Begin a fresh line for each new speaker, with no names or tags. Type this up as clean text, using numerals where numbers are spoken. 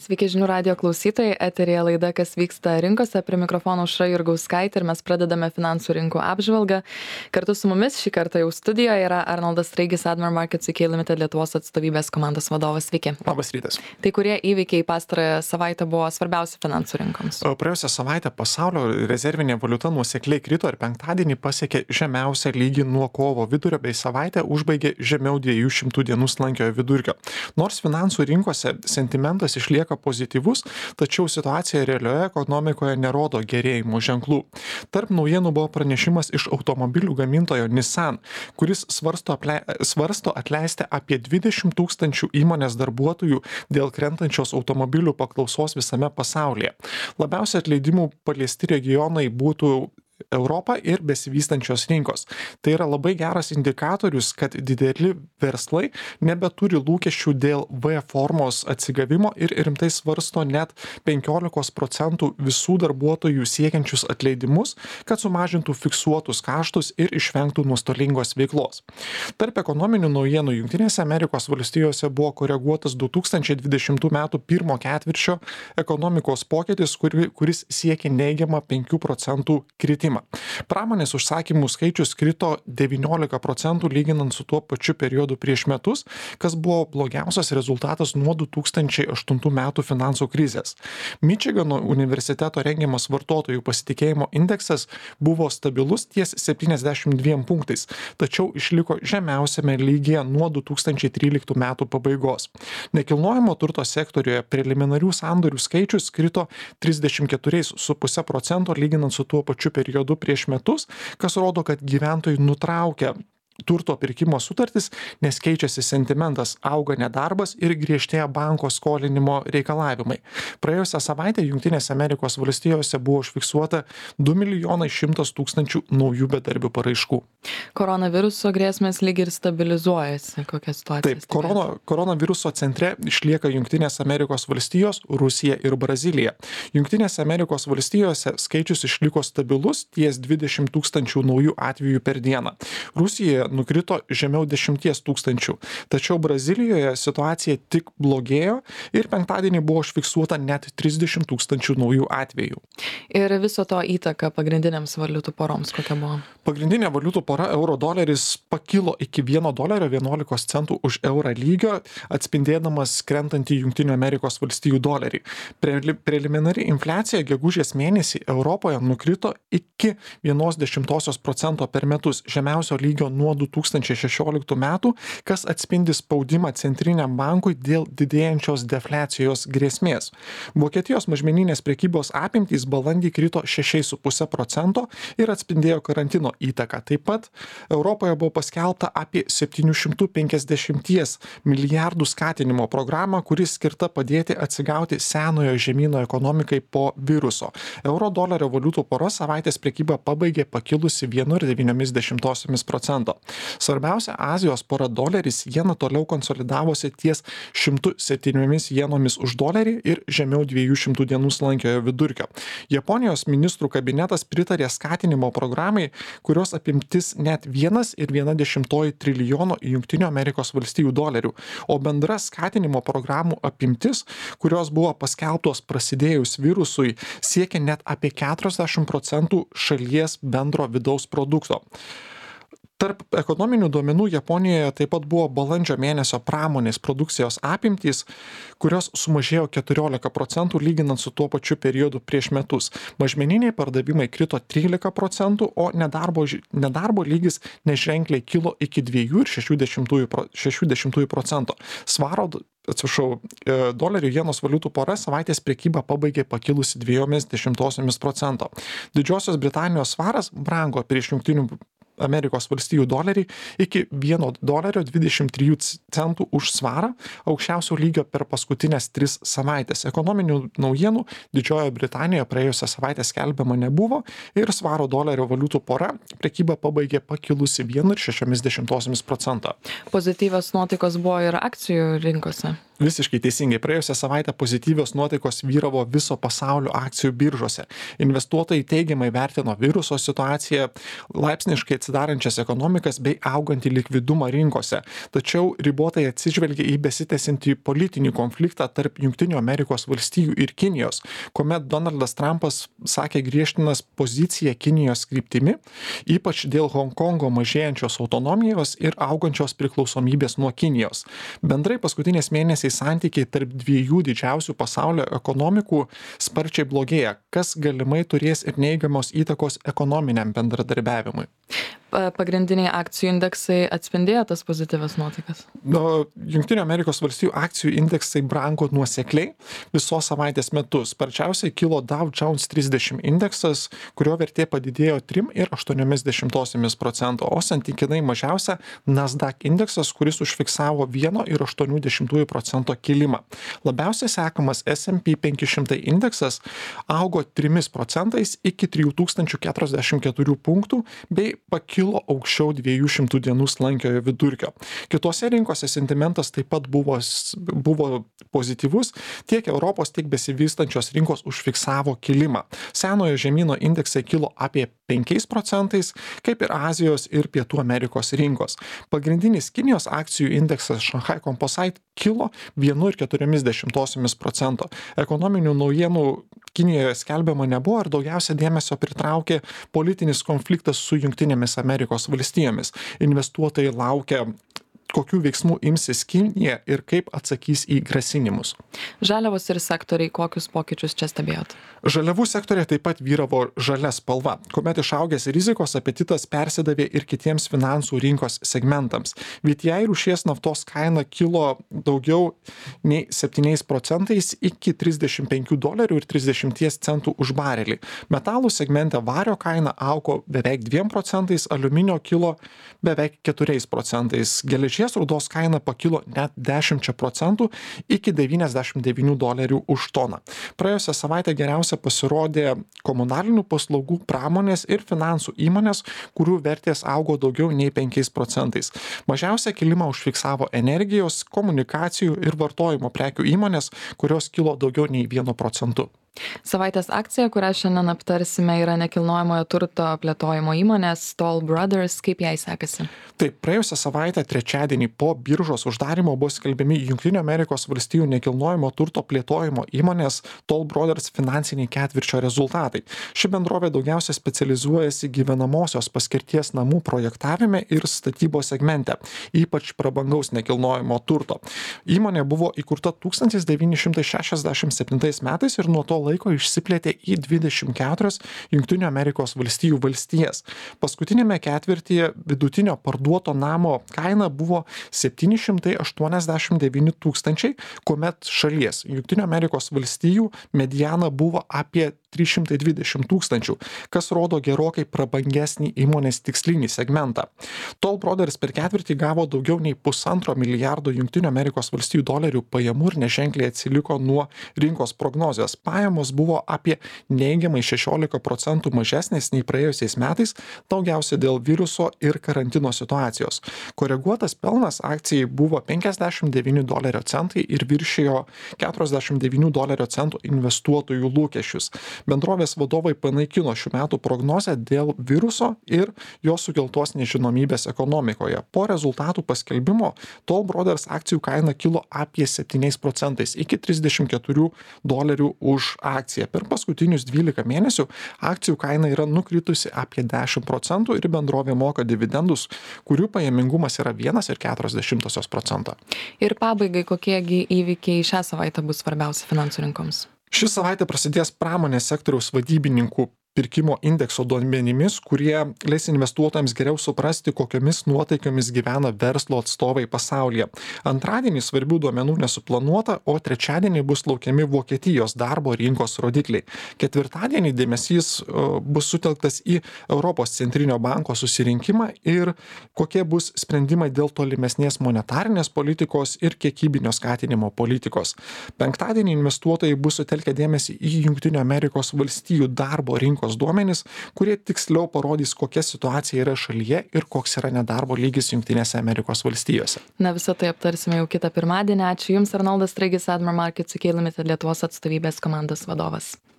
Sveiki žinių radijo klausytojai, eterėje laida Kas vyksta rinkose, prie mikrofono Aušra Jurgauskaitė ir mes pradedame finansų rinkų apžvalgą. Kartu su mumis šį kartą jau studijoje yra Arnoldas Straigis, Admiral Markets UK Limited Lietuvos atstovybės komandos vadovas. Sveiki.
Labas rytas.
Tai kurie įvykiai pastarąją savaitę buvo svarbiausi finansų rinkoms?
Praėjusią savaitę pasaulio rezervinė valiuta nuosekliai krito ir penktadienį pasiekė žemiausią lygį nuo kovo vidurio bei savaitę užbaigė žemiau 200 dienų slankiojo vidurkio. Nors finansų rinkose sentimentas išlieka pozityvus, tačiau situacija realioje ekonomikoje nerodo gerėjimo ženklų. Tarp naujienų buvo pranešimas iš automobilių gamintojo Nissan, kuris svarsto atleisti apie 20 000 įmonės darbuotojų dėl krentančios automobilių paklausos visame pasaulyje. Labiausiai atleidimų paliesti regionai būtų Europa ir besivystančios rinkos. Tai yra labai geras indikatorius, kad dideli verslai nebeturi lūkesčių dėl V formos atsigavimo ir rimtai svarsto net 15% visų darbuotojų siekiančius atleidimus, kad sumažintų fiksuotus kaštus ir išvengtų nuostolingos veiklos. Tarp ekonominių naujienų Jungtinėse Amerikos valstijose buvo koreguotas 2020 m. pirmo ketvirčio ekonomikos pokytis, kuris siekia neigiamą 5% kritimą. Pramonės užsakymų skaičius krito 19% lyginant su tuo pačiu periodu prieš metus, kas buvo blogiausias rezultatas nuo 2008 metų finansų krizės. Mičigano universiteto rengiamas vartotojų pasitikėjimo indeksas buvo stabilus ties 72 punktais, tačiau išliko žemiausiame lygyje nuo 2013 metų pabaigos. Nekilnojamo turto sektoriuje preliminarių sandorių skaičius krito 34,5% lyginant su tuo pačiu periodu prieš metus, kas rodo, kad gyventojai nutraukia turto pirkimo sutartis, nes keičiasi sentimentas, auga nedarbas ir griežtėja banko skolinimo reikalavimai. Praėjusią savaitę Jungtinėse Amerikos valstijose buvo užfiksuota 2 100 000 naujų bedarbių paraiškų.
Koronaviruso grėsmės lyg ir stabilizuojasi. Kokia situacija?
Taip, koronaviruso centre išlieka Jungtinės Amerikos valstijos, Rusija ir Brazilija. Jungtinėse Amerikos valstijose skaičius išliko stabilus ties 20 000 naujų atvejų per dieną. Rusijoje nukrito žemiau 10 000, tačiau Brazilijoje situacija tik blogėjo ir penktadienį buvo užfiksuota net 30 000 naujų atvejų.
Ir viso to įtaka pagrindiniams valiutų poroms kokia buvo?
Pagrindinė valiutų pora euro doleris pakilo iki $1.11 už eurą lygio, atspindėdamas krentantį Jungtinių Amerikos valstijų dolerį. Preliminari infliacija gegužės mėnesį Europoje nukrito iki 0,1% per metus, žemiausio lygio nuo 2016 metų, kas atspindi spaudimą centriniam bankui dėl didėjančios defliacijos grėsmės. Vokietijos mažmeninės prekybos apimtys balandį krito 6,5% ir atspindėjo karantino įtaką. Taip pat Europoje buvo paskelbta apie 750 milijardų skatinimo programą, kuris skirta padėti atsigauti senojo žemyno ekonomikai po viruso. Euro dolerio valiutų pora savaitės prekybą pabaigė pakilusi 1,9%. Svarbiausia Azijos pora doleris jena toliau konsolidavosi ties 107 jenomis už dolerį ir žemiau 200 dienų slankiojo vidurkio. Japonijos ministrų kabinetas pritarė skatinimo programai, kurios apimtis net 1,1 trilijono Jungtinių Amerikos valstijų dolerių, o bendra skatinimo programų apimtis, kurios buvo paskelbtos prasidėjus virusui, siekia net apie 40% šalies bendro vidaus produkto. Tarp ekonominių duomenų Japonijoje taip pat buvo balandžio mėnesio pramonės produkcijos apimtys, kurios sumažėjo 14% lyginant su tuo pačiu periodu prieš metus. Mažmeniniai pardavimai krito 13%, o nedarbo lygis neženkliai kilo iki 2,6%. Dolerių jenos valiutų pora savaitės prekybą pabaigė pakilusi 0,2%. Didžiosios Britanijos svaras brango prieš Jungtinių Amerikos valstijų dolerį iki $1.23 už svarą, aukščiausio lygio per paskutinės 3 savaitės. Ekonominių naujienų Didžiojoje Britanijoje praėjusią savaitę skelbiama nebuvo ir svaro dolerio valiutų pora prekybą pabaigė pakilusi 1,6%.
Pozityvios nuotaikos buvo ir akcijų rinkose.
Visiškai teisingai. Praėjusią savaitę pozityvios nuotaikos vyravo viso pasaulio akcijų biržose. Investuotojai teigiamai vertino viruso situaciją, laipsniškai atsidarančias ekonomikas bei augantį likvidumą rinkose. Tačiau ribotai atsižvelgia į besitęsiantį politinį konfliktą tarp Junktinių Amerikos valstijų ir Kinijos, kuomet Donaldas Trumpas sakė griežtinas poziciją Kinijos kryptimi, ypač dėl Honkongo mažėjančios autonomijos ir augančios priklausomybės nuo Kinijos. Bendrai paskutiniais mėnesiais santykiai tarp dviejų didžiausių pasaulio ekonomikų sparčiai blogėja, kas galimai turės ir neigiamos įtakos ekonominiam bendradarbiavimui.
Pagrindiniai akcijų indeksai atspindėjo tas pozityvias nuotaikas?
Junktinių Amerikos valstijų akcijų indeksai brango nuosekliai visos savaitės metu. Sparčiausiai kilo Dow Jones 30 indeksas, kurio vertė padidėjo 3,8%, o santykinai mažiausia Nasdaq indeksas, kuris užfiksavo 1,8% kilimą. Labiausiai sekamas S&P 500 indeksas augo 3% iki 3044 punktų bei pakilo aukščiau 200 dienų slankiojo vidurkio. Kitose rinkose sentimentas taip pat buvo pozityvus, tiek Europos, tiek besivystančios rinkos užfiksavo kilimą. Senojo žemyno indeksai kilo apie 5%, kaip ir Azijos ir Pietų Amerikos rinkos. Pagrindinis Kinijos akcijų indeksas Shanghai Composite kilo 1,4%. Ekonominių naujienų Kinijoje skelbiama nebuvo ir daugiausia dėmesio pritraukė politinis konfliktas su Jungtinėmis Amerikos valstijomis. Investuotojai laukia, kokių veiksmų imsis Kinija ir kaip atsakys į grasinimus.
Žaliavos ir sektoriai, kokius pokyčius čia stebėjot?
Žaliavų sektorė taip pat vyravo žalia spalva, kuomet išaugęs rizikos apetitas persidavė ir kitiems finansų rinkos segmentams. VTI rūšies naftos kaina kilo daugiau nei 7% iki $35.30 už barelį. Metalų segmente vario kaina augo beveik 2%, aliuminio kilo beveik 4%. Geležies rūdos kaina pakilo net 10% iki $99 už toną. Praėjusią savaitę geriausia pasirodė komunalinių paslaugų, pramonės ir finansų įmonės, kurių vertės augo daugiau nei 5%. Mažiausią kilimą užfiksavo energijos, komunikacijų ir vartojimo prekių įmonės, kurios kilo daugiau nei 1%.
Savaitės akcija, kurią šiandien aptarsime, yra nekilnojamojo turto plėtojimo įmonės Toll Brothers. Kaip jai sekasi?
Taip, praėjusią savaitę trečiadienį po biržos uždarimo buvo skelbiami Junktinių Amerikos valstijų nekilnojamo turto plėtojimo įmonės Toll Brothers finansiniai ketvirčio rezultatai. Ši bendrovė daugiausia specializuojasi gyvenamosios paskirties namų projektavime ir statybos segmente, ypač prabangaus nekilnojamo turto. Įmonė buvo įkurta 1967 metais ir nuo to laiko išsiplėtė į 24 Junktinių Amerikos valstijų valstijas. Paskutinėme ketvirtyje vidutinio parduoto namo kaina buvo 789 tūkstančiai, kuomet šalies Junktinių Amerikos valstijų mediana buvo apie 320 tūkstančių, kas rodo gerokai prabangesnį įmonės tikslinį segmentą. Toll Brothers per ketvirtį gavo daugiau nei $1,5 milijardo Junktinių Amerikos valstijų dolerių pajamų ir neženkliai atsiliko nuo rinkos prognozės. Pajamos buvo apie neigiamai 16% mažesnės nei praėjusiais metais, daugiausia dėl viruso ir karantino situacijos. Koreguotas pelnas akcijai buvo $59 ir viršijo $49 investuotojų lūkesčius. Bendrovės vadovai panaikino šių metų prognozę dėl viruso ir jo sukeltos nežinomybės ekonomikoje. Po rezultatų paskelbimo Toll Brothers akcijų kaina kilo apie 7% iki $34 už akciją. Per paskutinius 12 mėnesių akcijų kaina yra nukritusi apie 10% ir bendrovė moka dividendus, kurių pajamingumas yra 1,4%.
Ir pabaigai, kokiegi įvykiai šią savaitę bus svarbiausi finansų rinkoms?
Ši savaitė prasidės pramonės sektoriaus vadybininkų pirkimo indekso duomenimis, kurie leis investuotojams geriau suprasti, kokiamis nuotaikomis gyvena verslo atstovai pasaulyje. Antradienį svarbių duomenų nesuplanuota, o trečiadienį bus laukiami Vokietijos darbo rinkos rodikliai. Ketvirtadienį dėmesys bus sutelktas į Europos centrinio banko susirinkimą ir kokie bus sprendimai dėl tolimesnės monetarinės politikos ir kiekybinio skatinimo politikos. Penktadienį investuotojai bus sutelkę dėmesį į Junktinių Amerikos valstijų darbo rinkos rinkos duomenys, kurie tiksliau parodys, kokia situacija yra šalyje ir koks yra nedarbo lygis Jungtinėse Amerikos valstijose.
Na, visą tai aptarsime jau kitą pirmadienį. Ačiū Jums, Arnoldas Straigis, Admiral Markets UK Limited Lietuvos atstovybės komandos vadovas.